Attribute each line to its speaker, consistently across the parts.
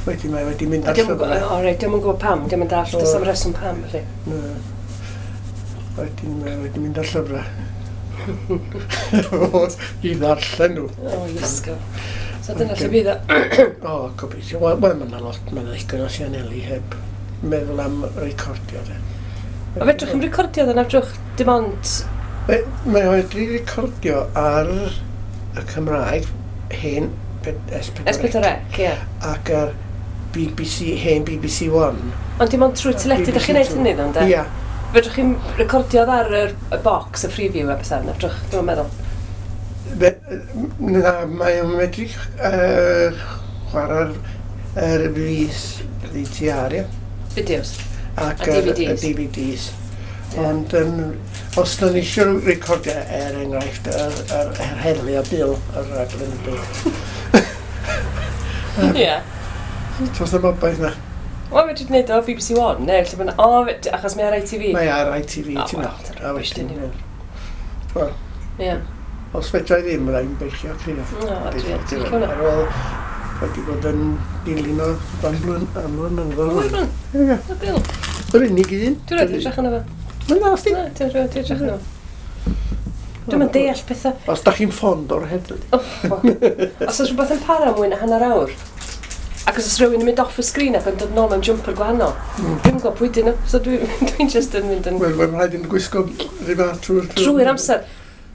Speaker 1: Wedyn mae wedi mynd
Speaker 2: A
Speaker 1: ar
Speaker 2: diom yn
Speaker 1: llyfrau.
Speaker 2: O, reit, diom yn gwybod pam, diom yn dallt, does am reswm pam, felly.
Speaker 1: Na. Wedyn mae wedi mynd ar llyfrau. I ddarllen nhw.
Speaker 2: O, Iesgob. So dyna lle bydd o.
Speaker 1: O, gobeithio. Wel, wel, mae yna lot, mae yna ddigon o sianeli heb meddwl am recordio. De.
Speaker 2: A fedrwch chi'n recordio ddo, na fedrwch dim ond.
Speaker 1: Mae o wedi recordio ar y Cymraeg hen S4C
Speaker 2: S4C, ie.
Speaker 1: Ac ar BBC, hen BBC One.
Speaker 2: Ond dim ond trwy teledu, ydych chi'n neud hynny ddo, ynde?
Speaker 1: Ia.
Speaker 2: Fedrwch chi'n recordio ar y box, y Freeview a bethau, na fedrwch, dwi'n meddwl.
Speaker 1: Na, mae o'n medru chwarae'r yr VCR, ie.
Speaker 2: Fideos.
Speaker 1: Ac
Speaker 2: A DVDs.
Speaker 1: Y DVDs. Ond os da ni eisiau recordio, er enghraifft, yr heddlu a Bil, yr raglen y Bil.
Speaker 2: Ie.
Speaker 1: Does 'na'm obaith na.
Speaker 2: Wel, fedrwch wneud o BBC One, neu lle bynnag. O, achos mae ar ITV.
Speaker 1: Mae ar ITV,
Speaker 2: O,
Speaker 1: ti'n
Speaker 2: wel,
Speaker 1: meddwl.
Speaker 2: dyna
Speaker 1: A
Speaker 2: rubbish,
Speaker 1: wedyn,
Speaker 2: dyn nhw.
Speaker 1: Wel, os fedra i ddim, rhaid beichio crio.
Speaker 2: O, dwi'n licio hwnna.
Speaker 1: Ar ôl wedi bod yn dilyn o am blynyddoedd.
Speaker 2: O, wir?
Speaker 1: Ie.
Speaker 2: O, Bil.
Speaker 1: Yr unig un.
Speaker 2: Dwi'n rhaid edrych arno fo.
Speaker 1: Mae'n dda, sti.
Speaker 2: Na, dwi'n rhaid edrych arno fo. Dwi'm yn deall pethau.
Speaker 1: Os da chi'n ffond o'r heddlu.
Speaker 2: Os oes rhywbeth yn para mwy na hanner awr, ac os oes rhywun yn mynd off y sgrin ac yn dod nôl mewn jumper gwahanol, dwi'n gwybod pwy dyn nhw, so dwi'n just yn mynd yn
Speaker 1: Wel, mae'n rhaid i'n gwisgo rhyw fath trwy'r
Speaker 2: trwy'r amser.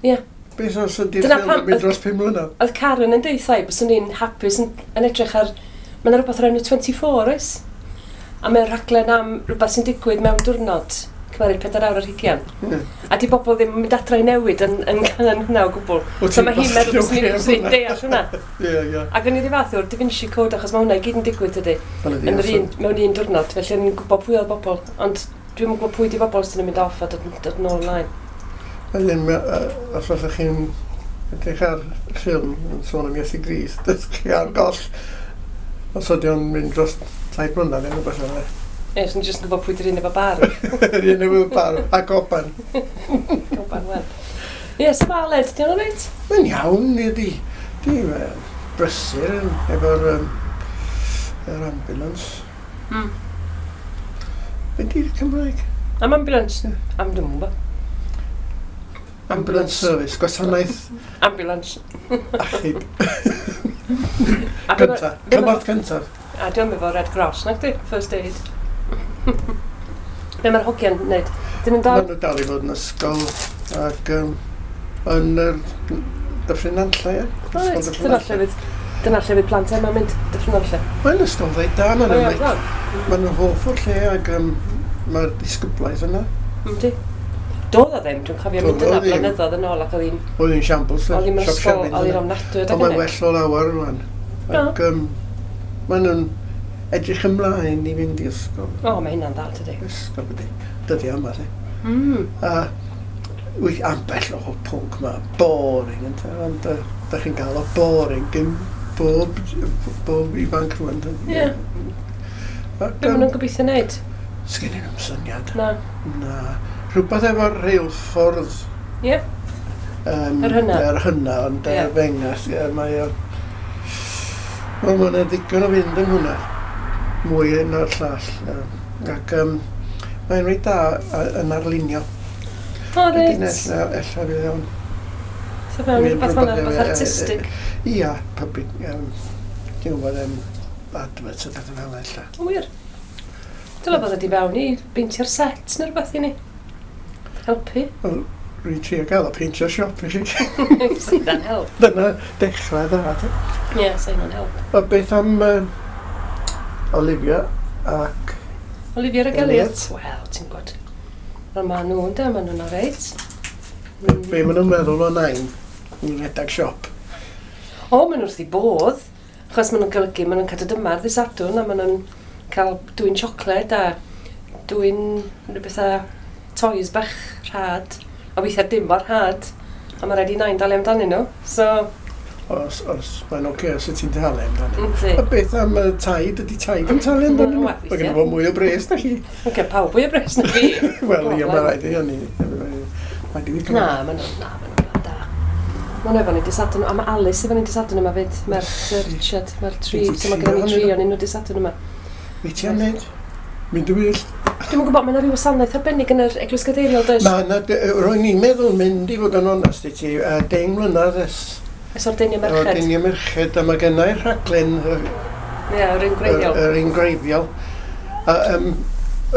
Speaker 2: Ie.
Speaker 1: Beth os ydy'r
Speaker 2: Dyna
Speaker 1: ffilm
Speaker 2: pam
Speaker 1: yn mynd dros 5 mlynedd?
Speaker 2: Oedd Karen yn deud thai, byswn i'n hapus yn edrych ar. Mae yna rhywbeth o'r enw 24, oes? A mae'n rhaglen am rhywbeth sy'n digwydd mewn diwrnod, cymeryd 24. A di bobl ddim yn mynd adra i newid yn hwnna o gwbl.
Speaker 1: Wyt
Speaker 2: So
Speaker 1: ti'n
Speaker 2: mae hi'n meddwl
Speaker 1: bastard
Speaker 2: byswn i'n
Speaker 1: oce
Speaker 2: byswn i'n
Speaker 1: am hwnna.
Speaker 2: deall hwnna.
Speaker 1: Ie, ie.
Speaker 2: Ac o'n i ddim fath o'r Da Vinci Code, achos mae hwnna i gyd yn digwydd, dydy.
Speaker 1: Wel, ydi,
Speaker 2: Yn yr
Speaker 1: os
Speaker 2: un, mewn un diwrnod, felly o'n i'n gwybod pwy oedd bobl. Ond dwi'm yn gwybod pwy di bobl sy'n mynd off a dod nôl ymlaen.
Speaker 1: Wedyn, os fyddwch chi'n edrych ar ffilm yn sôn am Iesu Grist, dych chi ar goll. Os ydy o'n mynd dros 3 mlynedd neu rhywbeth fel yna.
Speaker 2: Ie, so ni'n jyst yn gwybod pwy di'r un efo bar.
Speaker 1: Yr un efo bar a goban.
Speaker 2: Goban, wel. Ie, so mae Aled, di o'n reit?
Speaker 1: Mae'n iawn, ni di. Di brysur yn efo'r yr ambulance. Be di'r Cymraeg?
Speaker 2: Am ambulance? Am dwi'n gwybod.
Speaker 1: Ambulance service, gwasanaeth
Speaker 2: Ambulance.
Speaker 1: achub.
Speaker 2: A be ma-
Speaker 1: Cynta.
Speaker 2: be ma-
Speaker 1: Cymorth cyntaf.
Speaker 2: A diolch efo Red Cross, nag di? First aid. Be mae'r hogiau'n wneud? Dyn nhw'n dal
Speaker 1: Maen nhw dal i fod yn ysgol ac yn yr Dyffryn Nantlle, ie?
Speaker 2: Reit,
Speaker 1: Ysgol Dyffryn
Speaker 2: dyna
Speaker 1: Nantlle.
Speaker 2: lle fydd plant Emma'n mynd, Dyffryn Nantlle.
Speaker 1: Mae'n ysgol reit da, maen
Speaker 2: O,
Speaker 1: nhw'n
Speaker 2: ie,
Speaker 1: reit-
Speaker 2: iawn.
Speaker 1: maen nhw'n hoff o'r lle ac mae'r disgyblaeth yna.
Speaker 2: Yndi. Doedd o ddim, dwi'n cofio mynd
Speaker 1: Doedd o
Speaker 2: yna
Speaker 1: ddim.
Speaker 2: blynyddoedd yn ôl ac oedd hi'n
Speaker 1: Oedd hi'n shambles,
Speaker 2: oedd hi'n
Speaker 1: siop
Speaker 2: ysgol,
Speaker 1: siafin
Speaker 2: oedd hi'n
Speaker 1: yna.
Speaker 2: ofnadwy
Speaker 1: Ond
Speaker 2: adeg
Speaker 1: mae'n
Speaker 2: hynny.
Speaker 1: well o lawer rwan. Ac maen nhw'n edrych ymlaen i fynd i ysgol.
Speaker 2: O, mae hynna'n dda, tydi.
Speaker 1: Ysgol ydy. Dydy yma, lle. A wyth ambell o pwnc ma, boring, ynte, ond da chi'n gael o boring gyn bob ifanc rwan.
Speaker 2: Ie.
Speaker 1: Ac,
Speaker 2: Be maen nhw'n gobeithio wneud?
Speaker 1: Sgen i nhw'm syniad.
Speaker 2: Na.
Speaker 1: Na. Rhywbeth efo'r rheilffordd.
Speaker 2: Ie?
Speaker 1: Um,
Speaker 2: Yr hynna.
Speaker 1: Yr hynna, ond yr fengas, ie, mae o. Wel, mae'n ddigon o fynd yn hwnna. Mwy na'r llall. Ac mae'n reit da yn arlunio.
Speaker 2: O,
Speaker 1: Wedyn
Speaker 2: reit.
Speaker 1: ella fydd o'n
Speaker 2: So fewn i
Speaker 1: mynd
Speaker 2: rhywbeth fel 'na,
Speaker 1: rhywbeth
Speaker 2: rhywbeth artistig.
Speaker 1: Ia, public, ti'n gwybod, adverts a bethau fel ella.
Speaker 2: O, wir. Dyla bod ydi fewn i beintio'r set neu rhywbeth i ni. Helpu.
Speaker 1: Wel, rwy'n trio gael o peintio siop i chi.
Speaker 2: Sa hynna'n help.
Speaker 1: Dyna dechrau dda. Te.
Speaker 2: Ie, sa hynna'n help.
Speaker 1: A beth am Olivia ac
Speaker 2: Olivia ac
Speaker 1: Elliot?
Speaker 2: Elliot? Wel, ti'n gwybod. Wel, maen nhw, ynde, maen nhw'n oreit.
Speaker 1: Be maen nhw'n meddwl o nain yn rhedeg siop?
Speaker 2: O, maen nhw wrth i bodd. Achos maen nhw'n golygu, maen nhw'n cadw dyma ar ddydd Sadwrn a maen nhw'n cael dwyn siocled a dwyn rhywbeth a toys bach rhad. A weithiau dim mor rhad. A mae rhaid i nain dalu amdanyn nhw. So,
Speaker 1: Os mae'n oce os wyt ti'n talu amdano.
Speaker 2: Yndi.
Speaker 1: A beth am taid? Ydy taid yn talu amdano?
Speaker 2: Wel,
Speaker 1: Mae
Speaker 2: weithiau.
Speaker 1: gen fo mwy o bres na chi.
Speaker 2: Mae'n cael pawb fwy o bres na fi.
Speaker 1: Wel, ie, mae rhaid i hynny. Mae di
Speaker 2: Na, maen nhw'n na, maen nhw'n blant da. Mae'n efo ni dydd Sadwrn, a mae Alice efo ni dydd Sadwrn yma fyd, merch Richard, mae'r tri, so mae gen i tri o'n nhw dydd Sadwrn yma.
Speaker 1: Be ti am wneud? Mynd yn wyllt?
Speaker 2: Dwi'm yn gwybod, mae yna rhyw wasanaeth arbennig yn yr Eglwys Gadeiriol, does?
Speaker 1: Mae yna, ro'n i'n meddwl mynd i fod yn onest i ti, 10 mlynedd ers...
Speaker 2: Ers ordeinio merched.
Speaker 1: Ordeinio merched, a mae gennau'r rhaglen...
Speaker 2: Ie, yr un gwreiddiol.
Speaker 1: Yr un gwreiddiol. A,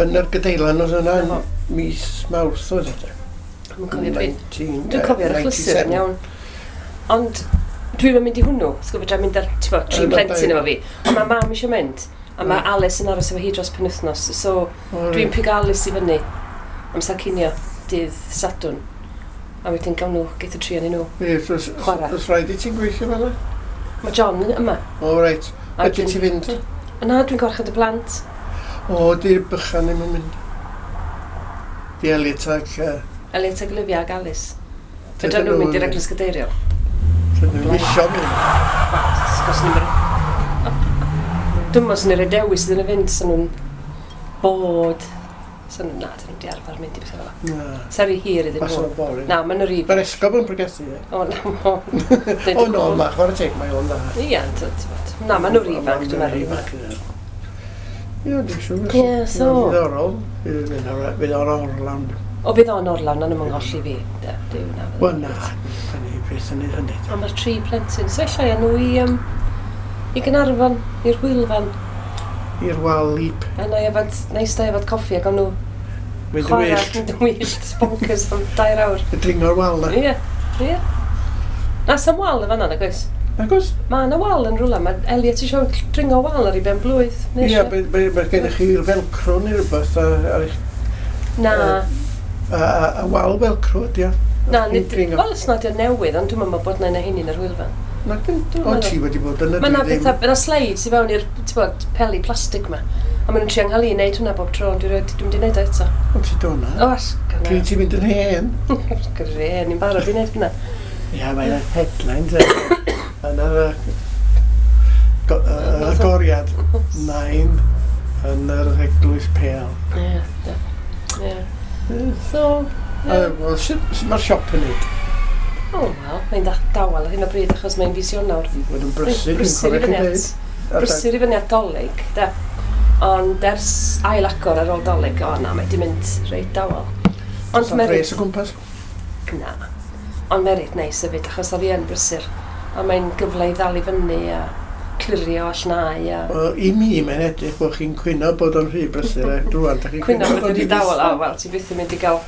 Speaker 1: yn yr Gadeilan oedd yna yn mis Mawrth oedd e.
Speaker 2: Dwi'n cofio pryd. Dwi'n cofio'r achlysur yn iawn. Ond dwi'n mynd i hwnnw, sgwr fedra mynd ar, ti'n bod, tri plentyn efo fi. Ond mae mam eisiau mynd, a mae Alice yn aros efo hi dros penwythnos, so dwi'n pigo Alice i fyny amser cinio, dydd Sadwrn. A wedyn gawn nhw, geith y tri o'n nhw.
Speaker 1: Ie, chwarae. Oes rhaid i ti'n gweithio fel yna?
Speaker 2: Mae John yma.
Speaker 1: O, reit. Ydy ti fynd?
Speaker 2: Na, dwi'n gwarchod y plant.
Speaker 1: O, di'r bychan ddim yn mynd. Di Elliot ac...
Speaker 2: Elliot ac Olivia ac Alice. Fedra nhw'n mynd i'r Eglwys Gadeiriol.
Speaker 1: Fedra nhw'n isio mynd.
Speaker 2: Wel, ni'n Dwi'n meddwl sy'n rhoi dewis iddyn nhw fynd, sy'n nhw'n bod. Sy'n nhw'n, na, dyn nhw'n di arfer mynd i bethau fel
Speaker 1: yna.
Speaker 2: Na. Sa'n rhy hir iddyn nhw.
Speaker 1: Ma'n boring.
Speaker 2: Na, ma'n rhy...
Speaker 1: Mae'r esgob yn pregethu, ie.
Speaker 2: O, na,
Speaker 1: o. O, no, ma, chwarae teg, mae o'n dda.
Speaker 2: Ie, na, ma'n nhw'n ifanc, dwi'n meddwl.
Speaker 1: Ie, dwi'n siŵr.
Speaker 2: Ie, so...
Speaker 1: Diddorol. Fydd o'n orlawn.
Speaker 2: O, fydd o'n orlawn, ond ymwng holli fi.
Speaker 1: Wel, na, ni beth yn ei hynny.
Speaker 2: Ond mae'r tri plentyn. So, ella nhw i Gaernarfon, i'r Hwylfan.
Speaker 1: I'r Walip.
Speaker 2: A na i yfad, na i sta yfad coffi ac o'n nhw
Speaker 1: chwarae,
Speaker 2: mynd yn wyllt, bonkers am 2 awr.
Speaker 1: Y dringo'r wal na.
Speaker 2: Ie, ie. Na, sam wal yn fan'na, nag oes?
Speaker 1: Nag oes?
Speaker 2: Mae yna wal yn rhywle, mae Elliot eisiau dringo wal ar ei ben blwydd.
Speaker 1: Ie, mae gennych chi'r velcro neu rhywbeth ar eich...
Speaker 2: Na.
Speaker 1: A wal velcro ydi o.
Speaker 2: Na, wel, os nad yw'n newydd, ond dwi'n meddwl bod na un o hynny yn yr Hwylfan.
Speaker 1: Na, o, ti wedi bod yn y
Speaker 2: Mae yna bethau, yna slides i fewn i'r, ti'n bod, peli plastig ma. A maen nhw'n trio nghael i wneud hwnna bob tro, ond dwi'n wedi wneud o eto.
Speaker 1: O, ti do na?
Speaker 2: O, as, gyna.
Speaker 1: Pryd ti'n mynd yn hen?
Speaker 2: Gyda hen, ni'n barod i wneud hwnna.
Speaker 1: Ie, mae'n headlines. Yna'r agoriad, 9 yn yr Eglwys Pêl.
Speaker 2: Ie, ie. So,
Speaker 1: ie. Wel, sut mae'r siop yn neud?
Speaker 2: O, wel, mae'n dawel ar hyn o bryd achos mae'n fis Ionawr.
Speaker 1: Mae'n yn brysur, dwi'n cofio chi dweud.
Speaker 2: Brysur i fyny at Dolig, de. Ond ers ail agor ar ôl Dolig, o na, mae di mynd reit dawel.
Speaker 1: Ond mae'n pres o gwmpas?
Speaker 2: Na. Ond mae'n reit neis hefyd, achos oedd hi yn brysur. A mae'n gyfle i ddal i fyny a clirio a llnau a...
Speaker 1: Wel, i mi mae'n edrych bod chi'n cwyno bod o'n rhy brysur e. Rwan, da chi'n
Speaker 2: cwyno bod o'n rhy dawel. O, wel, ti'n byth yn mynd i gael...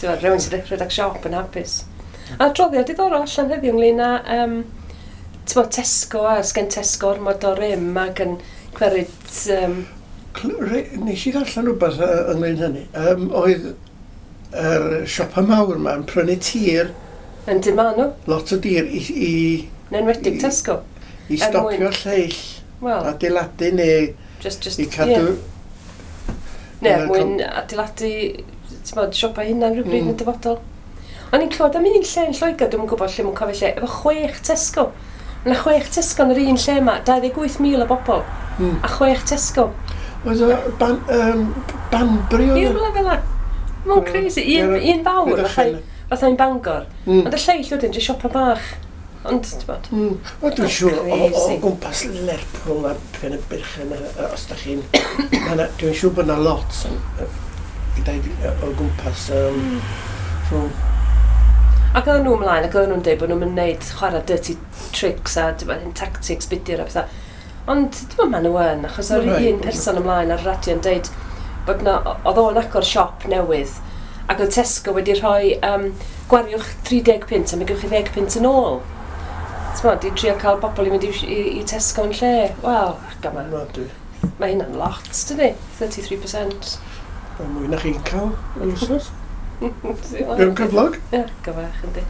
Speaker 2: Ti'n rhywun sy'n rhedeg siop yn hapus. A adroddiad diddorol allan heddiw ynglyn â ti'n bod, Tesco a sgen Tesco ormod o rym ac yn cweryd...
Speaker 1: Nes i ddarllen rhywbeth ynglyn hynny. Oedd yr siopa mawr yma yn prynu tir.
Speaker 2: Yn dim ma nhw.
Speaker 1: Lot o dir i
Speaker 2: Yn enwedig Tesco.
Speaker 1: I stopio lleill.
Speaker 2: Well,
Speaker 1: adeiladu neu
Speaker 2: just,
Speaker 1: i cadw...
Speaker 2: Yeah. Neu, mwyn adeiladu, ti'n bod, siopa hynna'n rhywbryd yn y dyfodol. O'n i'n clywed am un lle yn Lloegr, dwi'm yn gwybod lle, mae'n cofio lle, efo 6 Tesco. Mae yna 6 Tesco yn yr un lle yma, 28,000 o bobl, a 6 Tesco.
Speaker 1: Oedd o Banbury oedd?
Speaker 2: Ie, rhywle fel 'na. Mae'n crazy. Un fawr, fatha un Bangor. Ond y lleill wedyn, jyst siopa bach. Ond, ti'n bod?
Speaker 1: Wel, dwi'n siŵr o gwmpas Lerpwl a Pen-y-byrchen, os da chi'n... Dwi'n siŵr bod yna lot o gwmpas rhwng...
Speaker 2: Ac oedden nhw ymlaen, ac oedden nhw'n dweud bod nhw'n mynd chwarae dirty tricks a tactics budur a pethau. Ond dwi'n meddwl maen nhw yn, achos oedd un person ymlaen ar y radio yn dweud bod na, oedd o'n agor siop newydd, ac oedd Tesco wedi rhoi gwariwch 30 punt a mi gewch chi 10 punt yn ôl. Ti'n meddwl, di trio cael bobl i mynd i Tesco yn lle. Wel, ac yma. Mae hynna'n lot, dydi? 33%.
Speaker 1: Mae mwy na chi'n cael yn wythnos. Dwi'n cyflog?
Speaker 2: Ie, gyfach, yndi.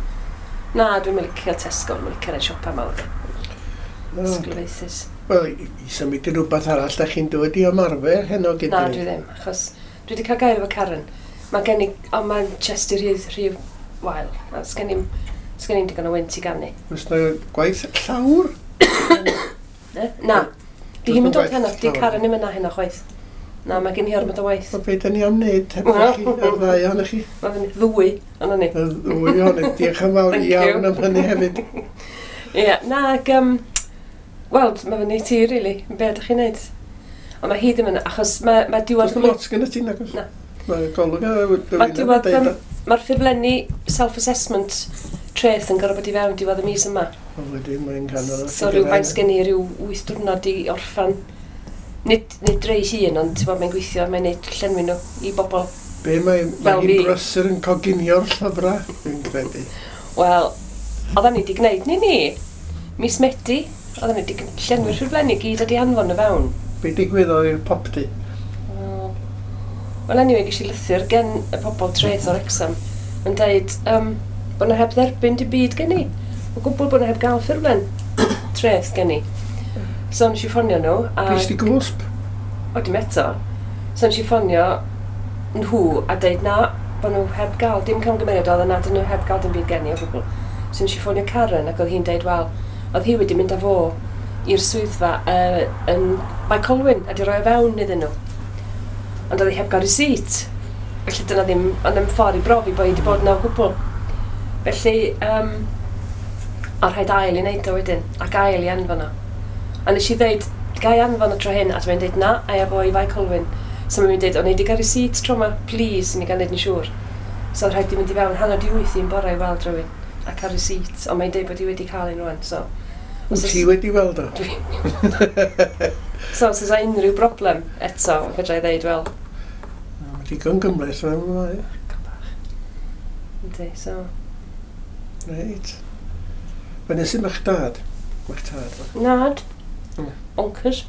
Speaker 2: Na, dwi'n licio Tesco, dwi'n licio'r ein siopa mawr. Sglyfaethus.
Speaker 1: Wel, i symud i rhywbeth arall, da chi'n dod i ymarfer heno gyda
Speaker 2: ni? Na, dwi ddim, achos dwi wedi cael gair efo Karen. Mae gen i, ond mae'n chest i rhy wael. A sgen i'm digon o wynt i ganu.
Speaker 1: Oes na gwaith llawr?
Speaker 2: Na. Di hi'n mynd dod heno, di Karen ddim yna heno chwaith. Na, mae gen i ormod o waith.
Speaker 1: Wel, be da ni am wneud heb chi, y ddau ohonych chi?
Speaker 2: Mae fyny ddwy ohonon ni.
Speaker 1: Y ddwy ohonych, diolch yn fawr iawn am hynny hefyd.
Speaker 2: Ie, na, ag, wel, mae fyny ti, really, be ydych chi'n neud? Ond mae hi ddim yn, achos mae diwedd...
Speaker 1: Does lot gen ti, nag oes?
Speaker 2: Na.
Speaker 1: Mae golwg ar
Speaker 2: Mae diwedd, mae'r ffurflenni self-assessment treth yn gorfod bod i fewn diwedd y mis yma.
Speaker 1: O, wedyn mae'n canol.
Speaker 2: So rhywfaint gen i ryw 8 diwrnod i orffan. Nid rei hun, ond ti'n bod, mae'n gweithio, mae'n neud llenwi nhw i bobl.
Speaker 1: Be mae hi'n brysur yn coginio'r llyfrau, dwi'n credu.
Speaker 2: Wel, oedden ni wedi gwneud ni. Mis Medi, oedden ni wedi llenwi'r ffurflenni gyd a di anfon nhw fewn.
Speaker 1: Be digwyddodd i'r popty?
Speaker 2: Wel, anyway, ges i lythyr gen y pobl treth o'r Wrexham yn dweud bod nhw heb dderbyn dim byd gen i. O gwbl bod nhw heb gael ffurflen treth gen i. So nes i ffonio nhw.
Speaker 1: Ges di gwsb?
Speaker 2: O, dim eto. So nes i ffonio nhw a deud na, bod nhw heb gael dim camgymeriad oedd yna, dyn nhw heb gael dim byd gen i o gwbl. So nes i ffonio Karen ac oedd hi'n deud, wel, oedd hi wedi mynd â fo i'r swyddfa yn Bae Colwyn a di roi o fewn iddyn nhw. Ond oedd hi heb gael receipt. Felly dyna ddim, ond ddim ffordd i brofi bod hi wedi bod yna o gwbl. Felly, a rhaid ail i wneud o wedyn, ac ail i anfon o. A nes i ddeud, ga i anfon o tro hyn, a mae'n deud na, a efo i Fae Colwyn. So mae'n deud, o'n i wedi cael receipt tro yma, please, i ni gael neud yn siŵr. So oedd rhaid i mynd i fewn 8:30 yn bore i weld rhywun, a cael receipt, ond mae'n deud bod hi wedi cael un rwan, so...
Speaker 1: Wyt ti wedi weld o?
Speaker 2: Dwi. So, os oes unrhyw broblem eto, fedra i ddeud, wel...
Speaker 1: Mae digon gymhleth, mae'n...
Speaker 2: Bach. Yndi, so...
Speaker 1: Reit. Fe nes i ma'ch dad? Ma'ch tad?
Speaker 2: Nad. Bonkers.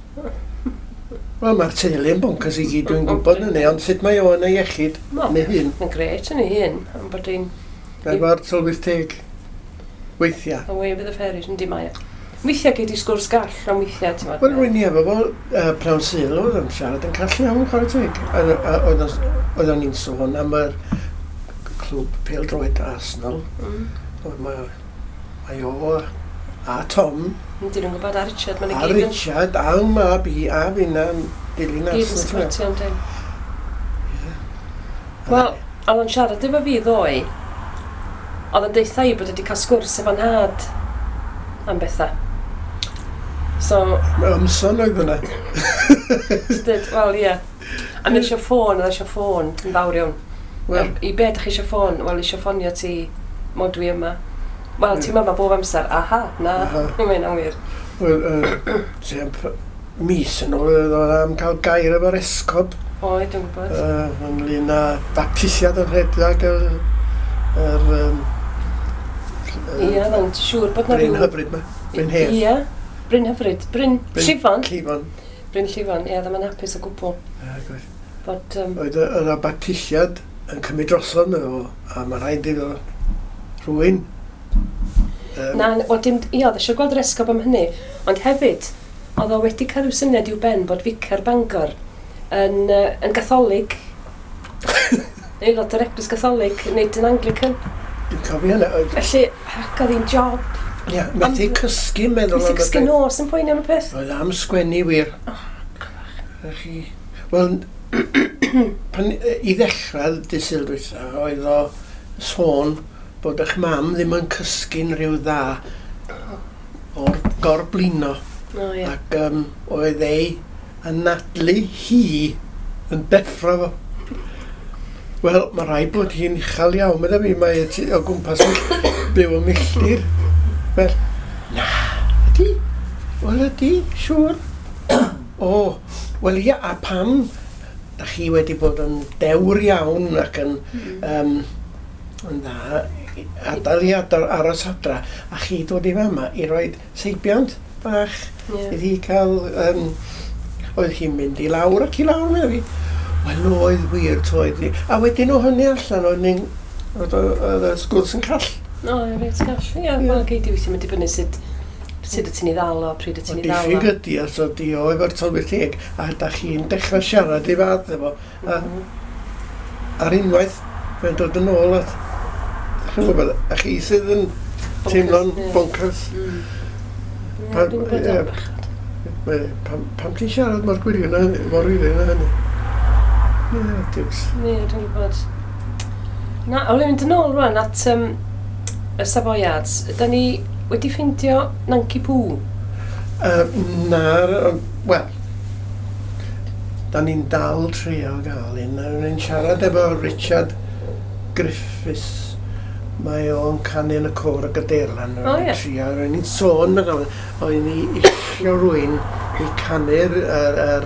Speaker 1: Wel, mae'r teulu yn bonkers i gyd, dwi'n gwybod hynny, ond sut mae o yn ei iechyd yn ei hun?
Speaker 2: Mae'n grêt yn ei hun, ond bod hi'n...
Speaker 1: Efo'r tylwyth teg weithiau.
Speaker 2: Away with the fairies, yndi mae o. Weithiau gei di sgwrs gall, ond weithiau, ti'n
Speaker 1: Wel, rwy'n i efo fo prawn Sul, oedd o'n siarad yn call iawn, chwarae teg. Oedd o'n i'n sôn am yr clwb pêl-droed Arsenal. Oedd mae o a Tom.
Speaker 2: Yndyn nhw'n gwybod, a Richard, maen nhw
Speaker 1: gyd yn... A Richard, a mab i, a finna, dilyn Arsenal.
Speaker 2: Gyd yn supportio, yndyn. Wel, oedd o'n siarad efo fi ddoe, oedd o'n deutha i bod wedi cael sgwrs efo nhad am bethau. So...
Speaker 1: Ymson oedd yna.
Speaker 2: Dyd, wel, ie. A mi eisiau ffôn, oedd eisiau ffôn yn fawr iawn. Well, i be ydych chi eisiau ffôn? Wel, eisiau ffonio ti mod dwi yma. Wel, ti'n yma bob amser. Aha, na, mae'n anwir.
Speaker 1: Wel, mis yn ôl oedd am cael gair efo'r esgob.
Speaker 2: Oedd, dwi'n gwybod.
Speaker 1: Ynglyn â baptisiad yn rhedeg yr...
Speaker 2: Ie, ond siŵr bod na
Speaker 1: ryw... Bryn Hyfryd ma. Bryn Hedd.
Speaker 2: Ie, Bryn Hyfryd. Bryn Llifon.
Speaker 1: Llifon.
Speaker 2: Bryn Llifon, ie, ddim yn hapus o gwbl.
Speaker 1: Ie, gwir. Oedd yna baptisiad yn cymryd drosodd meddo fo, a mae rhaid iddo rhywun.
Speaker 2: Na, wel dim, ie, oedd eisiau gweld yr esgob am hynny, ond hefyd, oedd o wedi cael rhyw syniad i'w ben bod Ficar Bangor yn Gatholig, aelod o'r Eglwys Gatholig, nid yn Anglican.
Speaker 1: Dwi'n cofio hynny.
Speaker 2: Felly, ac oedd hi'n job.
Speaker 1: Ie, methu cysgu meddwl am y
Speaker 2: peth. Methu cysgu nos yn poeni am y peth.
Speaker 1: Oedd am sgwennu wir.
Speaker 2: Oh, cyfach.
Speaker 1: Wel, i ddechrau dydd Sul dwytha, oedd o sôn bod eich mam ddim yn cysgu'n rhyw dda o'r gorblino.
Speaker 2: Oh, yeah.
Speaker 1: Ac oedd ei anadlu hi yn deffro fo. Wel, mae rhaid bod hi'n uchel iawn, meddai fi, mae o gwmpas yn byw y milltir. Wel, na, ydy? Wel, ydy, siŵr. O, wel ia, a pam da chi wedi bod yn dewr iawn ac yn, yn dda, adael i aros adra, a chi dod i fama i roed seibiant bach iddi cael, oedd hi'n mynd i lawr ac i lawr, meddai fi. Wel, oedd wir, toedd hi. A wedyn o hynny allan, oedd y sgwrs yn call.
Speaker 2: O, reit call. Ie, wel, gei di weithio, mae'n dibynnu sut wyt ti'n ei ddal o, pryd wyt ti'n ei ddal o.
Speaker 1: Diffyg ydi, os ydi o efo'r tylwyth teg, a da chi'n dechrau siarad i fath efo. A ar unwaith, mae'n dod yn ôl at... Chi'n gwybod, a chi sydd yn teimlo'n bonkers.
Speaker 2: Ie, dwi'n gwybod o'n bechod.
Speaker 1: Pam ti'n siarad mor gwirion mor wirion â hynny? Ie, diws.
Speaker 2: Ie, dwi'n gwybod. Na, o'n i'n mynd yn ôl rwan at y Savoyards. Da ni wedi ffeindio Nancy Poo?
Speaker 1: Na, wel, da ni'n dal trio gael un. O'n i'n siarad efo Richard Griffiths. Mae o'n canu yn y côr y Gadeirlan.
Speaker 2: O, ie.
Speaker 1: Trio, o'n i'n sôn, o'n i isio rhywun i canu'r yr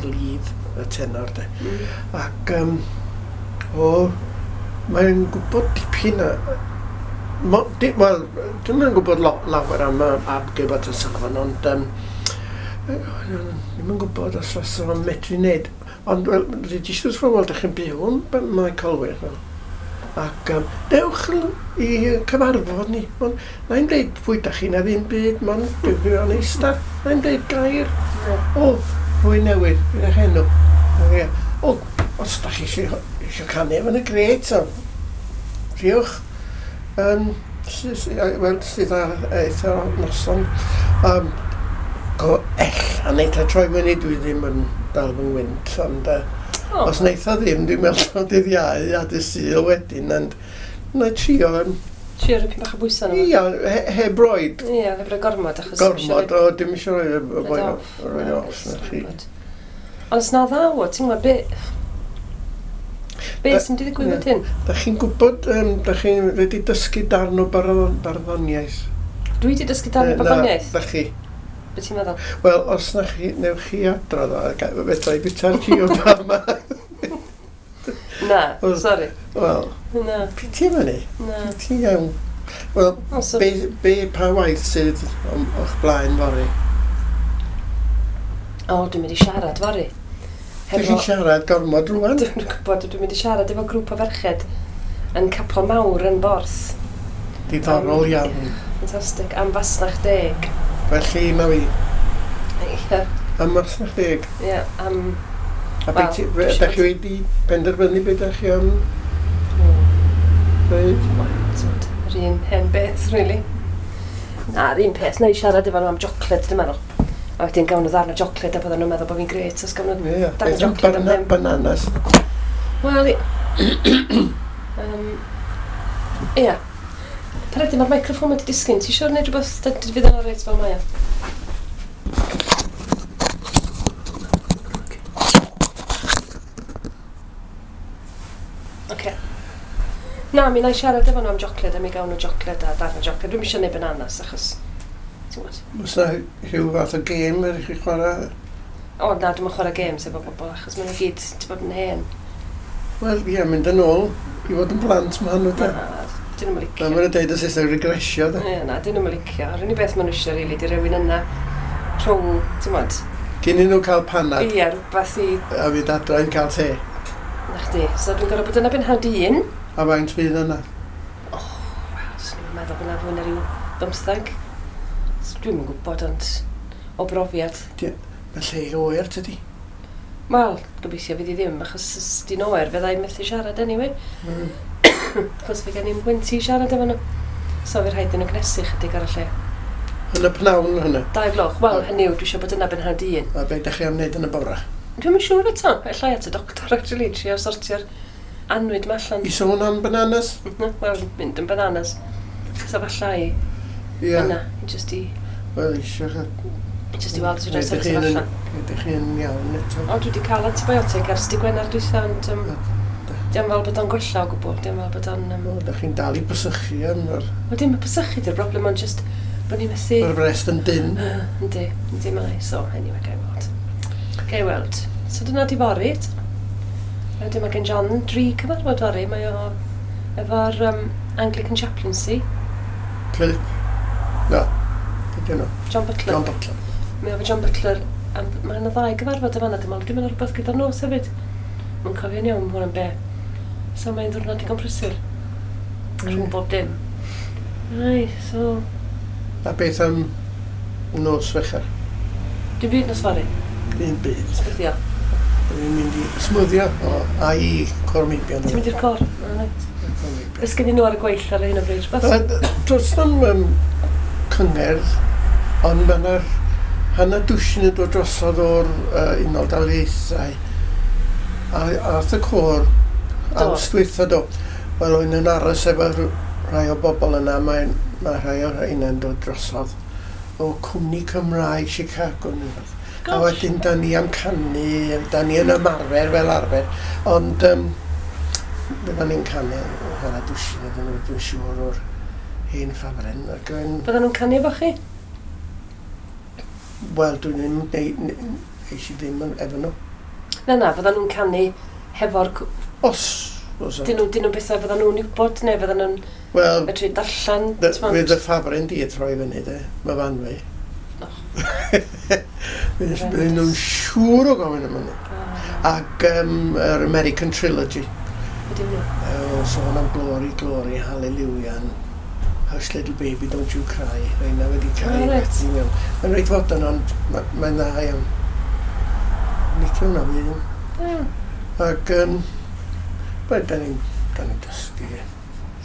Speaker 1: lead, y tenor, de. Ac, o, mae'n gwybod dipyn wel, dwi'm yn gwybod lawer am Ab Gilbert and Sullivan, ond ddim yn gwybod os fysa fo'n medru wneud. Ond, wel, dwi jyst wrth fy wel, dych chi'n byw yn Mae Colwyr, fel. Ac dewch i cyfarfod ni. Ond, na i'm deud pwy dach chi na ddim byd, mond dewch i o'n eistedd. Na i'm deud gair. O, rhywun newydd, beth eich enw? Ie. O, os dach chi eisiau canu, mae'n grêt, so. Triwch. Wel, sydd ar eitha noson. Go ella neith o troi fyny, dwi ddim yn dal fy ngwynt, ond os neith o ddim, dwi'n meddwl dydd Iau a dydd Sul wedyn, ond na i trio.
Speaker 2: Trio rhoi bach o bwysau arno fo.
Speaker 1: Ia, heb roid.
Speaker 2: Ie, heb roi gormod, achos
Speaker 1: Gormod, o, dim eisiau rhoi y boi
Speaker 2: Rhaid
Speaker 1: off, rhoi off, na chi.
Speaker 2: Ond os na ddaw o, ti'n gwybod, be sy'n mynd i ddigwydd wedyn?
Speaker 1: Da chi'n gwybod, da chi'n wedi dysgu darn o barddoniaeth?
Speaker 2: Dwi wedi dysgu darn o barddoniaeth?
Speaker 1: Na, da chi.
Speaker 2: Be ti'n meddwl?
Speaker 1: Wel, os na chi, newch chi adrodd o, fedra i bwyta'r gioba yma.
Speaker 2: Na, sori.
Speaker 1: Wel,
Speaker 2: Na.
Speaker 1: piti am hynny.
Speaker 2: Na.
Speaker 1: Piti iawn. Wel,
Speaker 2: O, so
Speaker 1: be, pa waith sydd o'ch blaen fory?
Speaker 2: O, dwi'n mynd i siarad fory.
Speaker 1: Dych chi'n siarad gormod rwan?
Speaker 2: Dwi'n gwybod, dwi'n mynd i siarad efo grŵp o ferched yn capel mawr yn Borth.
Speaker 1: Diddorol iawn.
Speaker 2: Ffantastig, am fasnach deg.
Speaker 1: Felly, ma fi.
Speaker 2: Ie.
Speaker 1: Am fasnach deg?
Speaker 2: Ie, am...
Speaker 1: A
Speaker 2: Wel,
Speaker 1: be
Speaker 2: dwi
Speaker 1: dach chi wedi penderfynu beth dach chi am dweud?
Speaker 2: Wel, t'mod, yr un hen beth, really. Na, yr un peth, na i siarad efo nhw am jocled, dwi'n meddwl. A wedyn gawn nhw ddarn o jocled a bydden nhw'n meddwl bod fi'n grêt os gawn nhw
Speaker 1: Ie,
Speaker 2: darn o
Speaker 1: beth am
Speaker 2: jocled am ddim.
Speaker 1: bananas?
Speaker 2: Wel, ie. Peredur, mae'r microffon wedi disgyn. Ti eisiau gwneud rhywbeth fydd yn reit fel mae o? Oce. Na, mi na i siarad efo nhw am jocled a mi gawn nhw jocled a darn o jocled. Dwi'm eisiau gwneud bananas achos, ti'n gwybod.
Speaker 1: Oes na rhyw fath o gêm yr i chi chwarae?
Speaker 2: O, na, dwi'm yn chwarae games efo bobl achos maen nhw gyd, ti'n bod yn hen.
Speaker 1: Wel, ie, mynd yn ôl i fod yn blant ma' nhw, de.
Speaker 2: Na, dyn nhw'm yn licio.
Speaker 1: Na, maen nhw'n deud y Saesneg regresio, de.
Speaker 2: Ie, na, dyn nhw'm yn licio. Yr unig beth maen nhw eisiau, rili, di rywun yna rhwng, ti'n gwybod?
Speaker 1: Cyn i nhw cael panad.
Speaker 2: Ie, rhywbeth i...
Speaker 1: A fynd adra i cael te.
Speaker 2: Na chdi. So dwi'n gorfod bod yna ben hanner 1.
Speaker 1: A faint fydd yna?
Speaker 2: O, wel, swn i'n meddwl bod yna fwy na ryw 15. So, dwi'm yn gwybod, ond o brofiad.
Speaker 1: Mae lle oer, tydi?
Speaker 2: Wel, gobeithio fydd i ddim, achos os di'n oer, fydda i'n methu siarad anyway. Achos fe gen i'm gwynt i siarad efo nhw. So fe rhaid i nhw gnesu chydig ar y lle.
Speaker 1: Yn y pnawn hynny?
Speaker 2: 2 gloch. Wel, hynny yw, dwi eisiau bod yna ben hanner 1.
Speaker 1: A be ydych chi am wneud yn y bore?
Speaker 2: Dwi'm yn siŵr eto. Ella i at y doctor, actually, trio sortio'r annwyd ma allan.
Speaker 1: I sôn am bananas?
Speaker 2: Wel, mynd yn bananas. So falla i yna, jyst i...
Speaker 1: Wel, eisiau
Speaker 2: Jyst i weld os fedra i sortio fo allan.
Speaker 1: Ydych chi'n iawn eto?
Speaker 2: O, dwi wedi cael antibiotic ers dy Gwener dwytha, ond diolch fel bod o'n gwella o gwbl, diolch fel bod o'n...
Speaker 1: O, ydych chi'n dal i bysychu am yr...
Speaker 2: Wel, dim y bysychu di'r broblem, ond jyst bod ni'n methu...
Speaker 1: Mae'r frest yn dynn.
Speaker 2: Yndi, yndi mae, so anyway, gai weld. Gai weld. So dyna di fory. Wedyn mae gen John 3 cyfarfod fory, mae o efo'r Anglican Chaplaincy.
Speaker 1: Philip? Na, beth nhw?
Speaker 2: John Butler.
Speaker 1: John Butler.
Speaker 2: Mae o efo John Butler, a mae yna ddau gyfarfod yn fan'na, dwi'n meddwl, dwi'n meddwl rhywbeth gyda'r nos hefyd. Mae'n cofio'n iawn hwn yn be. So mae'n ddiwrnod digon prysur. Rhwng bob dim. Ai, so...
Speaker 1: A beth am nos Fercher?
Speaker 2: Dim byd nos fory.
Speaker 1: Dim byd.
Speaker 2: Smwddio.
Speaker 1: Dwi'n mynd i smwddio o, a i côr meibion.
Speaker 2: Ti'n mynd i'r côr? O, reit. Beth sgen nhw ar y gweill ar hyn o bryd? Rhywbeth?
Speaker 1: Does na'm cyngerdd, ond mae yna'r hanner dwsin yn dod drosodd o'r Unol Daleithiau. A ath y côr awst dwytha do. Wel, o'n nhw'n aros efo rhai o bobl yna, mae rhai o'r rheina'n dod drosodd o cwmni Cymraeg Chicago neu rhywbeth. A wedyn, da ni am canu, da ni yn ymarfer fel arfer, ond fyddan ni'n canu hanner dwsin ydyn nhw, dwi'n siŵr o'r hen ffafren. Ac yn...
Speaker 2: Fyddan nhw'n canu efo chi?
Speaker 1: Wel, dwi'n ddim, eis i ddim efo nhw.
Speaker 2: Na, na, fyddan nhw'n canu hefo'r...
Speaker 1: Os.
Speaker 2: Dyn nhw'n bethau fyddan nhw'n wybod, neu fyddan nhw'n medru darllen?
Speaker 1: Fydd y ffafren di troi fyny, de, mae fan fi. Fydden nhw'n siŵr o gofyn am hynny. Ac yr American Trilogy.
Speaker 2: Be 'di hwnna?
Speaker 1: Sôn am Glory, Glory, Hallelujah, Hush Little Baby, Don't You Cry. Rheina wedi cael ei werthu mewn. Mae'n reit fodern, ond mae'n dda iawn. Licio hwnna fi. Ac, wel, da ni'n dysgu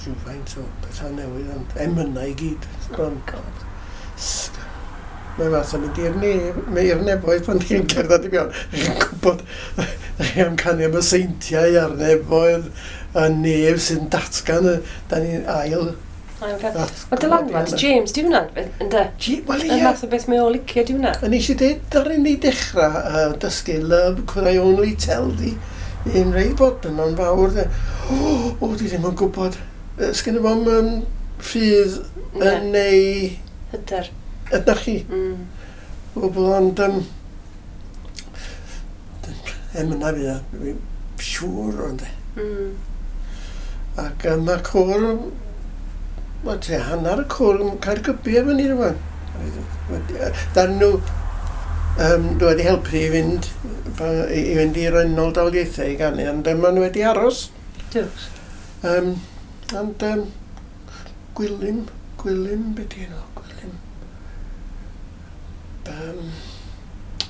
Speaker 1: rhywfaint o pethau newydd, ond emynau i gyd.
Speaker 2: Oh, God.
Speaker 1: Mae fath o mynd i'r i'r nefoedd pan chi'n cerdded i mewn. Chi'n gwybod, chi am canu am y seintiau a'r nefoedd, y nef sy'n datgan, da ni'n ail...
Speaker 2: Mae dylanwad James, di hwnna, ynde?
Speaker 1: Wel, ie.
Speaker 2: Y math o beth mae o licio, di hwnna.
Speaker 1: A nes i dweud, ddaru ni dechrau dysgu Love Could I Only Tell Thee, un rei bod yno'n fawr. O, di ddim yn gwybod. Sgynno fo'm ffydd yn ei...
Speaker 2: Hyder.
Speaker 1: Ydych chi? Gwbl, ond emyna fi, dwi'n siŵr ond. Ac mae'r côr, wel, tua hanner y côr yn Caergybi efo ni rwan. Darn nhw, dwi wedi helpu i fynd, i'r Unol Daleithiau i ganu, ond maen nhw wedi aros.
Speaker 2: Diolch.
Speaker 1: Ond Gwilym, beth di enw? Gwilym.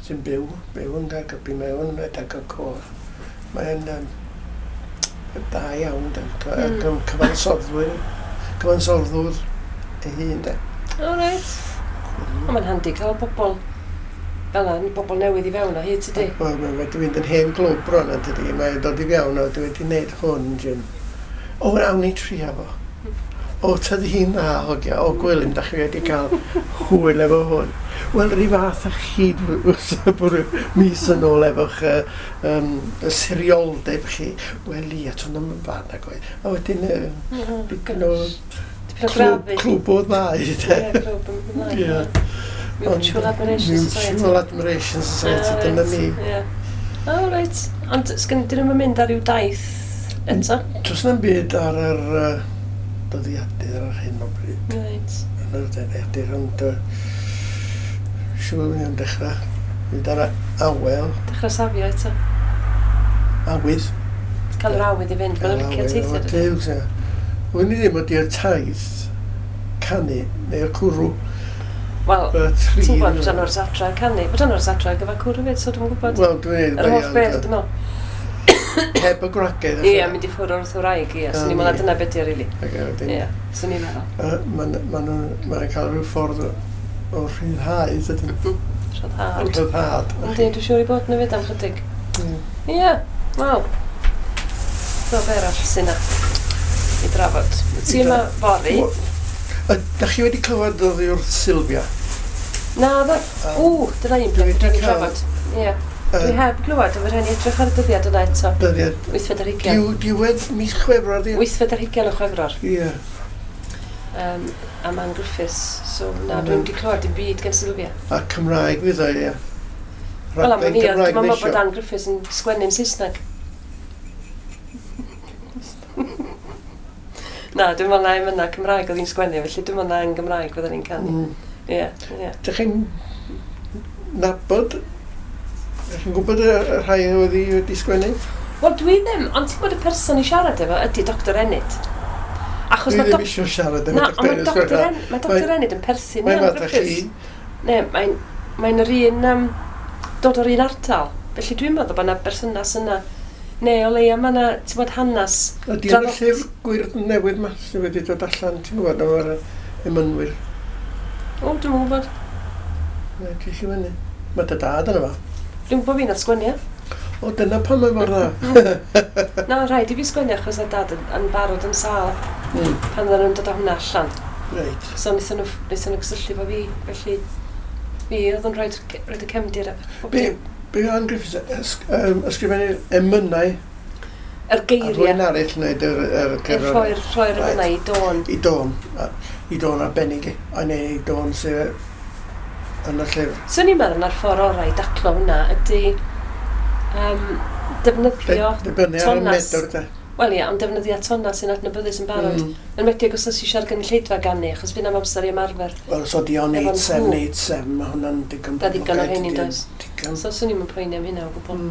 Speaker 1: Sy'n byw yn Caergybi, mae o'n rhedeg y côr. Mae'n da iawn, cyfansoddwr ei hun, de.
Speaker 2: O, reit. Ond mae'n handi cael bobl fel yna, bobl newydd i fewn o hyd, tydi?
Speaker 1: Wel, mae wedi mynd yn hen glwb bron, yn tydi. Mae'n dod i fewn o, dwi wedi gwneud hwn, Jim. O, awn ni trio fo. O, tydi hi'n dda, hogia. O, Gwilym, da chi wedi cael hwyl efo hwn. Wel, rhyw fath â chi mis yn ôl efo'ch y sirioldeb chi. Wel, ia, ti'n ddim yn bad nag oedd. A wedyn, dipyn o clwb o ddau.
Speaker 2: Ie, clwb o ddau. Mutual Admiration Society.
Speaker 1: Mutual Admiration Society, dyna ni.
Speaker 2: O, reit. Ond, sgyn, dyn nhw'n mynd ar ryw daith eto?
Speaker 1: Does na'm byd ar yr dyddiadur ar hyn o bryd.
Speaker 2: Reit.
Speaker 1: Yn yr dyddiadur, ond siŵr ni am dechrau. Fynd ar awel.
Speaker 2: Dechrau safio eto.
Speaker 1: Awydd.
Speaker 2: Cael yr awydd i fynd, mae'n licio teithio.
Speaker 1: Wn i ddim ydy'r taith canu neu'r cwrw.
Speaker 2: Wel, ti'n gwybod, bod ano'r adra canu. Bod ano'r adra gyfer cwrw hefyd, so dwi'n gwybod.
Speaker 1: Wel, dwi'n
Speaker 2: Yr holl beth, dwi'n meddwl.
Speaker 1: Heb y gwragedd.
Speaker 2: Ie, mynd i ffwrdd wrth wraig, ie. Swn i'n meddwl dyna beth ydy, rili. Ie, swn i'n meddwl.
Speaker 1: Maen nhw'n cael rhyw ffordd o rhyddhau, dydyn.
Speaker 2: Rhyddhad.
Speaker 1: Rhyddhad.
Speaker 2: Yndi, dwi'n siŵr i bod yn fyd am chydig. Ie, wel. So, be arall sy'n na i drafod? Ti yma fory?
Speaker 1: Da chi wedi clywed oddi wrth Sylvia?
Speaker 2: Na, dda. Ww, dyna un peth dwi'n trafod. Ie. Dwi heb glywed, ond rhaid ni edrych ar y dyddiad yna eto.
Speaker 1: Dyddiad.
Speaker 2: 8th ar hugain.
Speaker 1: Diwedd mis Chwefror, di?
Speaker 2: 8th ar hugain o Chwefror.
Speaker 1: Ie.
Speaker 2: A Man Griffiths, so na, dwi'n wedi clywed dim byd gan Sylvia.
Speaker 1: A Cymraeg fydd o, ie.
Speaker 2: Wel, am ni, dwi'n meddwl bod Ann Griffiths yn sgwennu'n Saesneg. Na, dwi'n meddwl na emynau Cymraeg oedd hi'n sgwennu, felly dwi'n meddwl na yn Gymraeg fydden ni'n canu. Ie, ie.
Speaker 1: Dych chi'n nabod? Dych chi'n gwybod y rhai oedd hi wedi sgwennu?
Speaker 2: Wel, dwi ddim, ond ti'n gwybod y person i siarad efo ydy Dr Enid. Achos
Speaker 1: dwi ddim eisiau siarad efo Dr Enid.
Speaker 2: Na, mae Dr Enid yn perthyn i Ann Griffiths. Ne, mae'n yr un, dod o'r un ardal. Felly dwi'n meddwl bod yna berthynas yna. Ne, o leia, mae yna, ti'n gwybod, hanes.
Speaker 1: Ydy yn y llyfr gwyrdd newydd ma sydd wedi dod allan, ti'n gwybod, am yr emynwyr?
Speaker 2: O, dwi'n gwybod.
Speaker 1: Ne, ti eisiau fyny. Mae dy dad yna fo.
Speaker 2: Dwi'n gwybod fi nath sgwennu.
Speaker 1: O, dyna pam mae mor dda.
Speaker 2: Na, rhaid i fi sgwennu achos oedd dad yn barod yn sâl pan oedden nhw'n dod â hwnna allan.
Speaker 1: Reit.
Speaker 2: So wnaethon nhw, wnaethon nhw gysylltu efo fi, felly fi oedd yn rhoi y cefndir a bob
Speaker 1: Be,
Speaker 2: dim.
Speaker 1: be Ann Griffiths ysgrifennu'r emynau
Speaker 2: Yr
Speaker 1: a rhywun
Speaker 2: geiriau,
Speaker 1: arall wneud yr cerddoriaeth?
Speaker 2: rhoi'r emynau i dôn.
Speaker 1: I dôn, i dôn arbennig, a neu i dôn sydd yn y llyfr.
Speaker 2: Swn i'n meddwl na'r ffordd orau i daclo hwnna ydy defnyddio
Speaker 1: Dibynnu ar y
Speaker 2: tonas.
Speaker 1: medr, de.
Speaker 2: Wel ie, ond defnyddio tona sy'n adnabyddus yn barod. Yn enwedig os oes eisiau'r gynulleidfa ganu, achos fydd na'm amser i ymarfer.
Speaker 1: Wel, so di o'n
Speaker 2: Efo
Speaker 1: 87,
Speaker 2: nhw.
Speaker 1: 87, mae hwnna'n digon
Speaker 2: Da ddigon o
Speaker 1: poblogaidd,
Speaker 2: rheini,
Speaker 1: dydi?
Speaker 2: does?
Speaker 1: Digon.
Speaker 2: So swn i'm yn poeni am hynna o gwbl.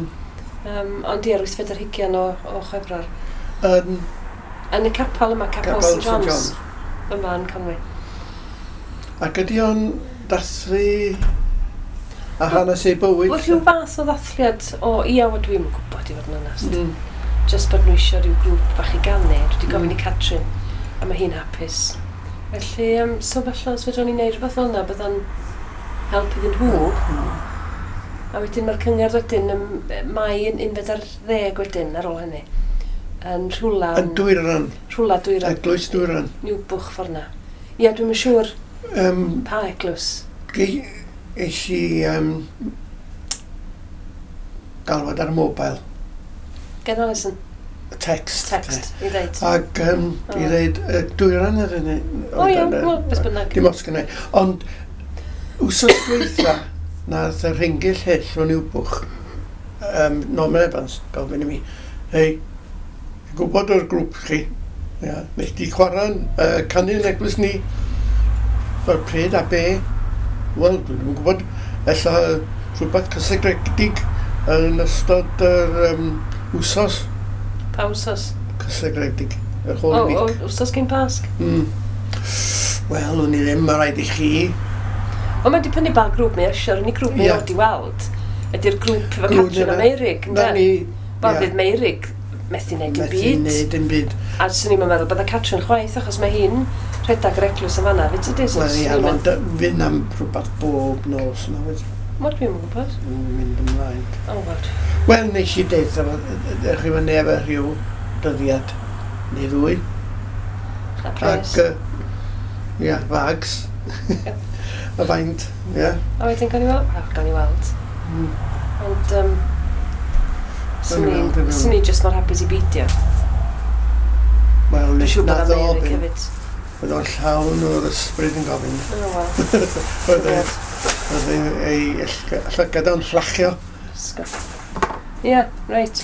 Speaker 2: Ond ie, yr 8 ar hugain o Chwefror. Yn y capel yma, Capel
Speaker 1: Capel
Speaker 2: St
Speaker 1: St
Speaker 2: John's.
Speaker 1: John's.
Speaker 2: Yma yn Conwy.
Speaker 1: Ac ydy o'n dathlu a hanes ei bywyd?
Speaker 2: Wel, rhyw fath o ddathliad o, ia, wel, dwi'm yn gwybod i fod yn onest. Just bod nhw eisiau rhyw grŵp bach i ganu. Dwi wedi gofyn i Catrin, a mae hi'n hapus. Felly, so falle os fedrwn ni wneud rhywbeth fel yna, bydda'n help iddyn nhw. A wedyn mae'r cyngerdd wedyn, Mai yn 11 wedyn ar ôl hynny. Yn rhywla,
Speaker 1: Yn Dwyran,
Speaker 2: rhywla Dwyran.
Speaker 1: Eglwys Dwyran.
Speaker 2: Niwbwch ffordd na. Ie, dwi'm yn siŵr pa eglwys.
Speaker 1: Eis i galwad ar y mobile,
Speaker 2: Gen Alison,
Speaker 1: text.
Speaker 2: text, i ddeud.
Speaker 1: Ac i ddeud, Dwyran yr hynny.
Speaker 2: O iawn, wel, beth bynnag.
Speaker 1: Dim ots gynna i. Ond, wsos dwytha, nath y Rhingyll Hyll o Niwbwch, Norman Evans, gofyn i mi, hei, dwi'n gwybod o'r grŵp chi, ia, nes di chwarae'n canu yn eglwys ni, fel pryd a be, wel, dwi ddim yn gwybod, ella rhywbeth cysegredig yn ystod yr wsos
Speaker 2: Pa wsos?
Speaker 1: cysegredig, yr
Speaker 2: O,
Speaker 1: whole
Speaker 2: o,
Speaker 1: week.
Speaker 2: wsos cyn Pasg.
Speaker 1: Wel, o'n i ddim, mae rhaid i chi.
Speaker 2: Wel, mae'n dibynnu ba grŵp mae eisiau. Yr unig grŵp mae od i weld ydy'r grŵp efo
Speaker 1: Grŵp
Speaker 2: Catrin a
Speaker 1: yna.
Speaker 2: Meirig,
Speaker 1: Na
Speaker 2: ynde?
Speaker 1: ni,
Speaker 2: Wel,
Speaker 1: ie.
Speaker 2: fydd Meirig methu wneud dim
Speaker 1: Methu
Speaker 2: byd.
Speaker 1: wneud dim byd.
Speaker 2: A swn i'n meddwl bydda Catrin chwaith, achos mae hi'n rhedeg yr eglwys yn fanna. Fyd tydi? So
Speaker 1: Wel, ia,
Speaker 2: swn i'n
Speaker 1: ond fydd am rhywbeth bob nos, na fyd,
Speaker 2: Wel, dwi'm yn gwybod.
Speaker 1: yn mynd ymlaen.
Speaker 2: O, wel.
Speaker 1: Wel, nes i deud, efo, ddech chi fyny efo rhyw dyddiad neu ddwy.
Speaker 2: A pres.
Speaker 1: Ac, ia, fags. A faint, ia.
Speaker 2: A wedyn gawn ni weld. Wel, gawn ni weld. Ond,
Speaker 1: Gawn ni weld, gawn ni
Speaker 2: swn i just mor hapus i beidio.
Speaker 1: Wel,
Speaker 2: Dwi'n
Speaker 1: nes
Speaker 2: siŵr bod
Speaker 1: na ddo,
Speaker 2: Meirig hefyd.
Speaker 1: Oedd o'n llawn o'r ysbryd yn gofyn.
Speaker 2: O, wel.
Speaker 1: Oedd ei llygad o'n fflachio.
Speaker 2: Ie, reit.